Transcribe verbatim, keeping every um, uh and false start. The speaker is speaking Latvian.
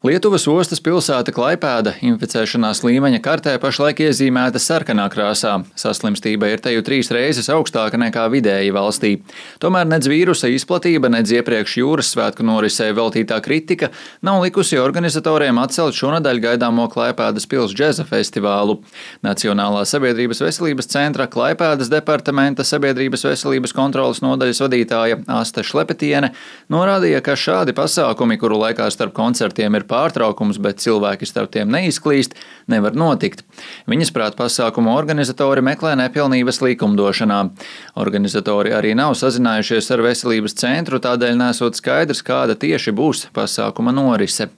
Lietuvas ostas pilsēta Klaipēda inficēšanās līmeņa kartē pašlaik iezīmēta sarkanā krāsā. Saslimstība ir te jau trīs reizes augstāka nekā vidēji valstī. Tomēr nedz vīrusa izplatība, nedz iepriekš jūras svētku norisē veltītā kritika nav likusi organizatoriem atcelt šonadēļ gaidāmo Klaipēdas pils džeza festivālu. Nacionālā sabiedrības veselības centra Klaipēdas departamenta sabiedrības veselības kontroles nodaļas vadītāja Asta Šlepetiene norādīja, ka šādi pasākumi, kuru laikā starp koncertiem ir pārtraukums, bet cilvēki starp tiem neizklīst, nevar notikt. Viņas prāt pasākumu organizatori meklē nepilnības likumdošanā. Organizatori arī nav sazinājušies ar veselības centru, tādēļ nesot skaidrs, kāda tieši būs pasākuma norise.